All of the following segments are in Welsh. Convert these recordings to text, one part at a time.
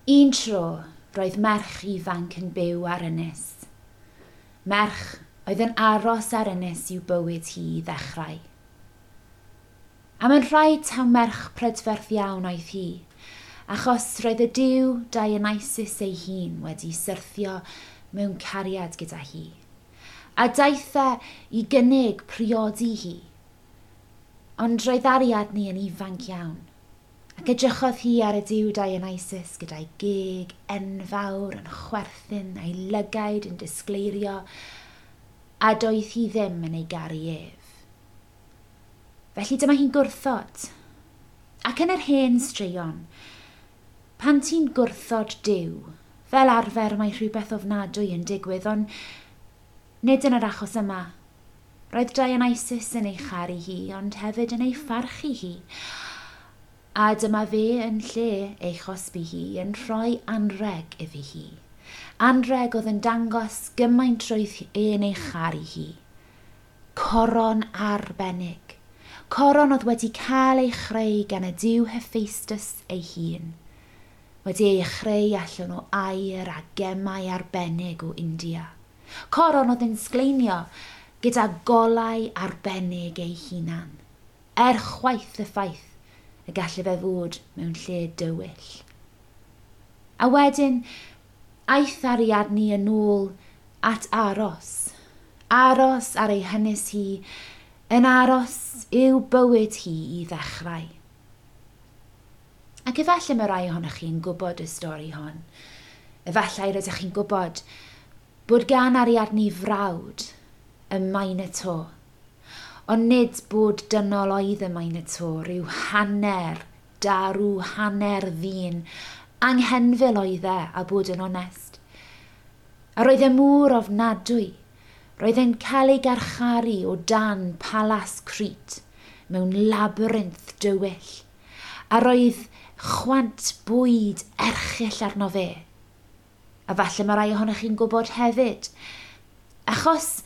Un tro, roedd merch ifanc yn byw ar ynys. Merch oedd yn aros ar ynys i'w bywyd hi i ddechrau. A mae'n rhaid taw merch prydferth iawn oedd hi, achos roedd y duw Dionysus ei hun wedi syrthio mewn cariad gyda hi, a daeth e i gynnig priodi hi. Ond roedd Ariadne yn ifanc iawn, ac edrychodd hi ar y duw Dionysus gyda'i geg enfawr yn chwerthin a'i lygaid yn disgleirio, a doedd hi ddim yn ei garu ef. Felly dyma hi'n gwrthod. Ac yn yr hen straeon, pan ti'n gwrthod Duw, fel arfer mae rhywbeth ofnadwy yn digwydd, ond nid yn yr achos yma. Roedd Dionysus yn ei charu hi, ond hefyd yn ei pharchu hi. A dyma fe yn lle ei chosbi hi yn rhoi anrheg iddi hi. Anrheg oedd yn dangos gymaint roedd e'n ei charu hi. Coron arbennig. Coron oedd wedi cael ei chreu gan y duw Hephaestus ei hun. Wedi ei chreu allan o aur a gemau arbennig o India. Coron oedd yn sgleinio gyda golau arbennig ei hunan. Er chwaith y ffaith y gallai fe fod mewn lle dywyll. A wedyn, aeth Ariadne yn ôl at aros. Aros ar ei hynys hi, yn aros i'w bywyd hi i ddechrau. Ac efallai mae rai ohonoch chi'n gwybod y stori hon. Efallai rydych chi'n gwybod bod gan Ariadne frawd y Minotaur. Ond nid bod dynol oedd y Minotaur, rhyw hanner darw, hanner ddyn. Anghenfil oedd e, a bod yn onest. A roedd e mor ofnadwy. Roedd e'n cael ei garcharu o dan Palas Crete mewn labyrinth dywyll. A roedd chwant bwyd erchyll arno fe. A falle mae rai ohonoch chi'n gwybod hefyd. Achos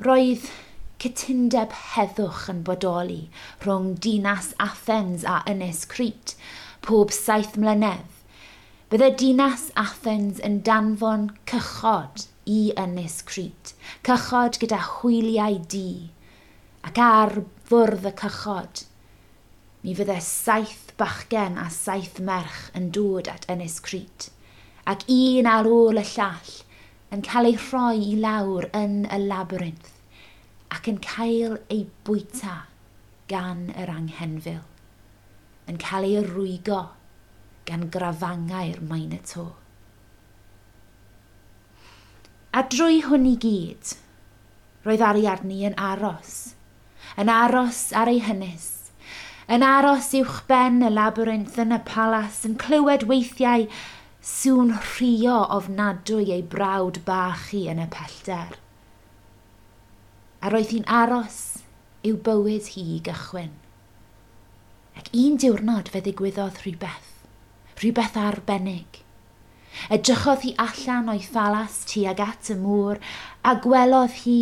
roedd cytundeb heddwch yn bodoli rhwng dinas Athens a Ynys Crete pob 7 mlynedd. Bydde dinas Athens yn danfon cychod i Ynys Crete, cychod gyda hwyliau du, ac ar fwrdd y cychod, mi fydde 7 bachgen a 7 merch yn dod at Ynys Crete, ac un ar ôl y llall yn cael ei rhoi i lawr yn y labyrinth ac yn cael ei bwyta gan yr anghenfil, yn cael ei rwygo gan grafangau'r Minotaur. A drwy hwn i gyd, roedd Ariadne yn aros ar ei hynys, yn aros uwchben y labyrinth yn y palas, yn clywed weithiau sŵn rhuo ofnadwy ei brawd bach hi yn y pellter. A roedd hi'n aros i'w bywyd hi i gychwyn. Ac un diwrnod fe ddigwyddodd rhywbeth, rhywbeth arbennig. Edrychodd hi allan o'i phalas tuag at y môr a gwelodd hi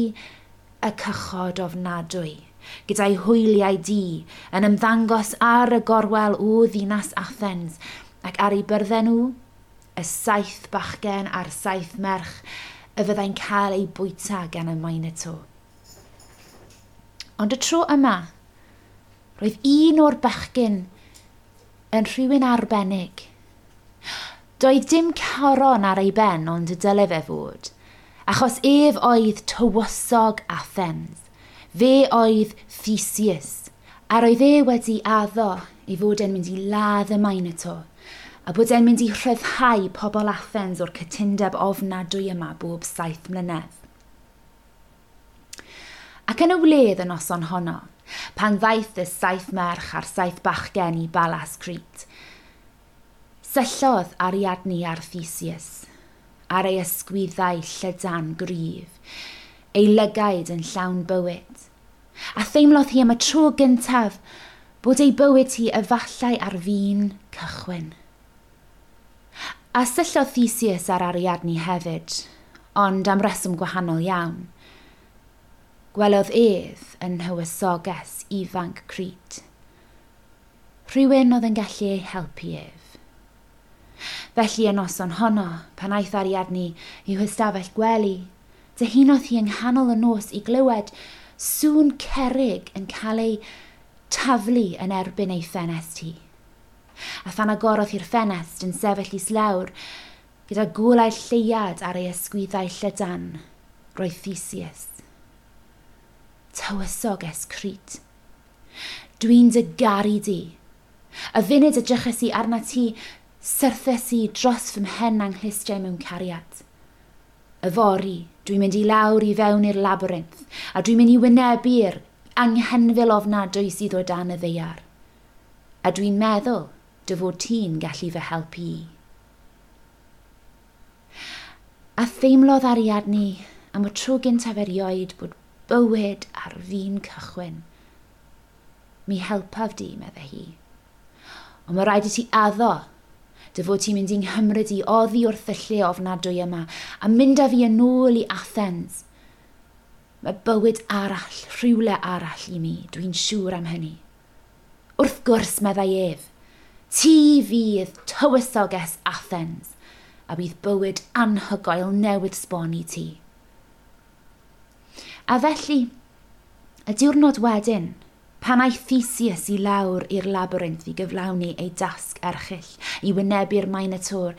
y cychod ofnadwy, gyda'i hwyliau du yn ymddangos ar y gorwel o ddinas Athens ac ar ei byrddau nhw, y 7 bachgen a'r 7 merch y fyddai'n cael ei bwyta gan y Minotaur. Ond y tro yma, roedd un o'r bachgen yn rhywun arbennig. Doedd dim coron ar ei ben ond y dyle fe fod, achos ef oedd tywysog Athens. Fe oedd Theseus, a roedd e wedi addo ei fod e'n mynd i ladd y Minotaur, a bod e'n mynd i rhyddhau pobl Athens o'r cytundeb ofnadwy yma bob 7 mlynedd. Ac yn y wledd y noson honno, pan ddaeth y 7 merch a'r 7 bachgen i Balas Crete, syllodd Ariadne ar Theseus, ar ei ysgwyddau llydan gryf, ei lygaid yn llawn bywyd. A theimlodd hi am y tro gyntaf bod ei bywyd hi efallai ar fin cychwyn. A syllodd Theseus ar Ariadne hefyd, ond am reswm gwahanol iawn. Gwelodd ef yn nhywysoges ifanc Crete. Rhywun oedd yn gallu ei helpu ef. Felly y noson honno, pan aeth Ariadne i'w hystafell gwely, dyhunodd hi yng nghanol y nos i glywed sŵn cerrig yn cael ei taflu yn erbyn ei ffenest hi. A phan agorodd hi'r ffenest yn sefyll islawr, gyda golau lleuad ar ei ysgwyddau llydan, roedd Theseus. Tywysoges Crete. Dwi'n dy garu di. Y funud edryches i arna ti, syrthes i dros fy mhen a'ng nghlustiau mewn cariad. Yfory, dwi'n mynd i lawr i fewn i'r labyrinth, a dwi'n mynd i wynebu'r anghenfil ofnadwy sydd o dan y ddaear. A dwi'n meddwl dy fod ti'n gallu fy helpu i. A theimlodd Ariadne am y tro gyntaf erioed bod bywyd ar fin cychwyn. Mi helpaf di, meddai hi. Ond mae rhaid i ti addo dy fod ti'n mynd i'n nghymryd i oddi wrth y lle ofnadwy yma a mynd â fi yn ôl i Athens. Mae bywyd arall, rhywle arall i mi, dwi'n siŵr am hynny. Wrth gwrs, meddai ef, ti fydd tywysoges Athens a bydd bywyd anhygoel newydd sbon i ti. A felly, y diwrnod wedyn, pan aeth Theseus i lawr i'r labyrinth i gyflawni ei dasg erchyll, i wynebu'r Minotaur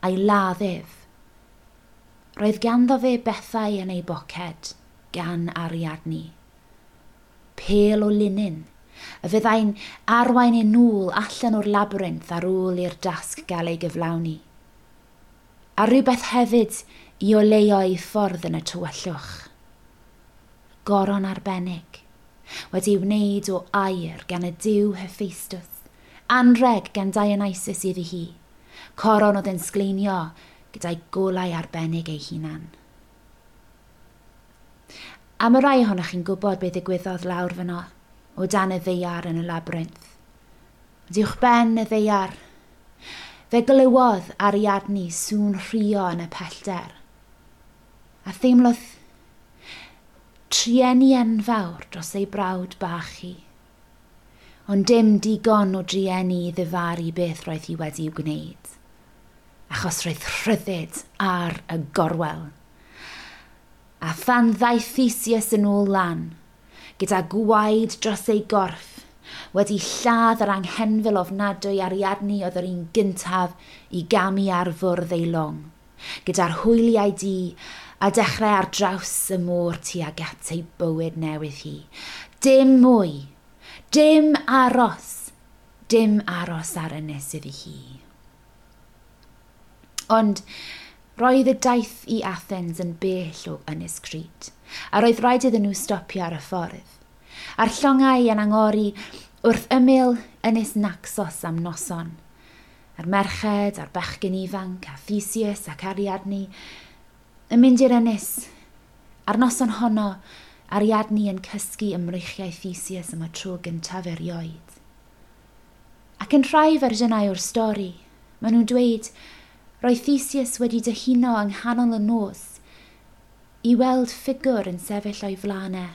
a'i ladd ef, roedd ganddo fe bethau yn ei boced gan Ariadne. Pêl o linyn, y fyddai'n arwain ei nôl allan o'r labyrinth ar ôl i'r dasg gael ei gyflawni. A rhywbeth hefyd i oleuo ei ffordd yn y tywyllwch. Goron arbennig, wedi wneud o aur gan y duw Hephaestus, anreg gan Dionysus iddi hi, coron oedd yn sgleinio gyda'i golau arbennig ei hunan. A mae rai ohonoch chi'n gwybod beth ddigwyddodd lawr fyno, o dan y ddaear yn y labyrinth. Ond uwchben y ddaear, fe glywodd Ariadne sŵn rhuo yn y pellter. A theimlodd trueni enfawr dros ei brawd bach hi. Ond dim digon o drueni i ddifaru beth roedd hi wedi'w gwneud, achos roedd rhyddid ar y gorwel. A phan ddaeth Theseus yn ôl lan, gyda gwaed dros ei gorff, wedi lladd yr anghenfil ofnadwy Ariadne oedd yr un gyntaf i gamu ar fwrdd ei long, gyda'r hwyliau du a dechrau ar draws y môr tuag at ei bywyd newydd hi. Dim mwy, dim aros, dim aros ar ynys iddi hi. Ond roedd y daith i Athens yn bell o Ynys Crete, a roedd rhaid iddyn nhw stopio ar y ffordd. A'r llongau yn angori wrth ymyl Ynys Naxos am noson. A'r merched, a'r bechgyn ifanc, a Theseus ac Ariadne yn mynd i'r ynys. A'r noson honno, Ariadne yn cysgu ym mreichiau Theseus am y tro gyntaf erioed. Ac yn rhai fersiynau o'r stori, maen nhw'n dweud roedd Theseus wedi dyhuno yng nghanol y nos i weld ffigwr yn sefyll o'i flaen e.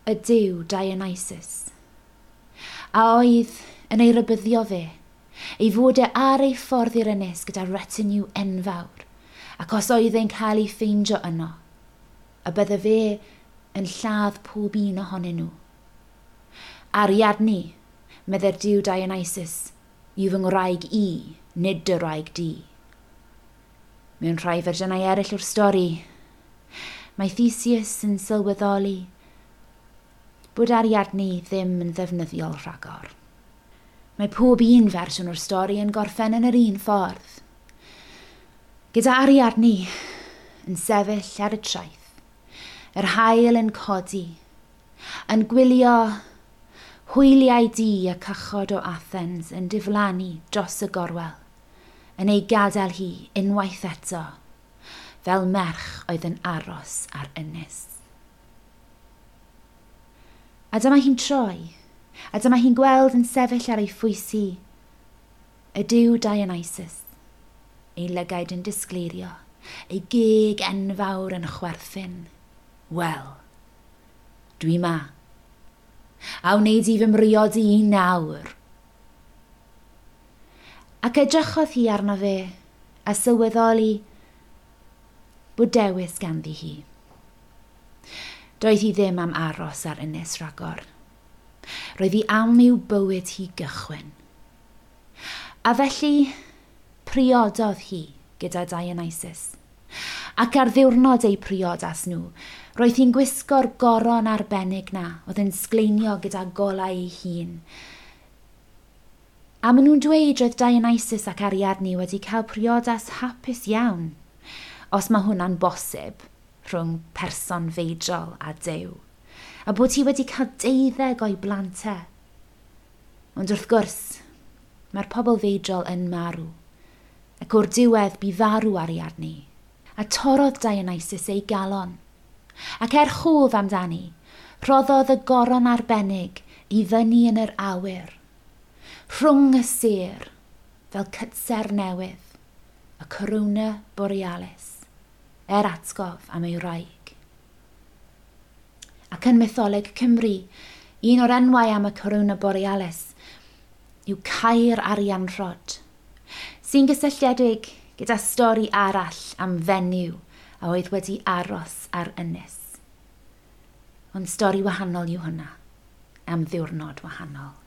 Y duw Dionysus. A oedd yn ei rybuddio fe, ei fod e ar ei ffordd i'r ynys gyda retinue enfawr, ac os oedd e'n cael ei ffeindio yno, y bydde fe yn lladd pob un ohonyn nhw. Ariadne, meddai'r duw Dionysus, yw fy ngwraig i, nid dy wraig di. Mewn rhai fersiynau eraill o'r stori, mae Theseus yn sylweddoli bod Ariadne ddim yn ddefnyddiol rhagor. Mae pob un fersiwn o'r stori yn gorffen yn yr un ffordd. Gyda Ariadne yn sefyll ar y traeth, yr haul yn codi, yn gwylio hwyliau du y cychod o Athens yn diflannu dros y gorwel, yn ei gadael hi unwaith eto, fel merch oedd yn aros ar ynys. A dyma hi'n troi, a dyma hi'n gweld yn sefyll ar ei phwys hi, y duw Dionysus, ei lygaid yn disgleirio, ei geg enfawr yn chwerthin. Wel, dwi ma. A wneud i fy mriodi i nawr. Ac edrychodd hi arno fe a sylweddoli bod dewis ganddi hi. Doedd hi ddim am aros ar ynys rhagor. Roedd hi am i'w bywyd hi gychwyn. A felly priododd hi gyda Dionysus. Ac ar ddiwrnod eu priodas nhw, roedd hi'n gwisgo'r goron arbennig na oedd yn sgleinio gyda golau ei hun. A maen nhw'n dweud roedd Dionysus ac Ariadne wedi cael priodas hapus iawn, os mae hwnna'n bosib rhwng person feidrol a Duw, a bod hi wedi cael 12 o'i blant e. Ond wrth gwrs, mae'r pobl feidrol yn marw, ac o'r diwedd bu farw Ariadne, a torrodd Dionysus ei galon. Ac er chof amdani, rhoddodd y goron arbennig i fyny yn yr awyr, rhwng y sêr, fel cytser newydd, y Corona Borealis, er atgof am ei wraig. Ac yn mytholeg Cymru, un o'r enwau am y Corona Borealis yw Caer Arianrhod, sy'n gysylltiedig gyda stori arall am fenyw a oedd wedi aros ar ynys. Ond stori wahanol yw hwnna, am ddiwrnod wahanol.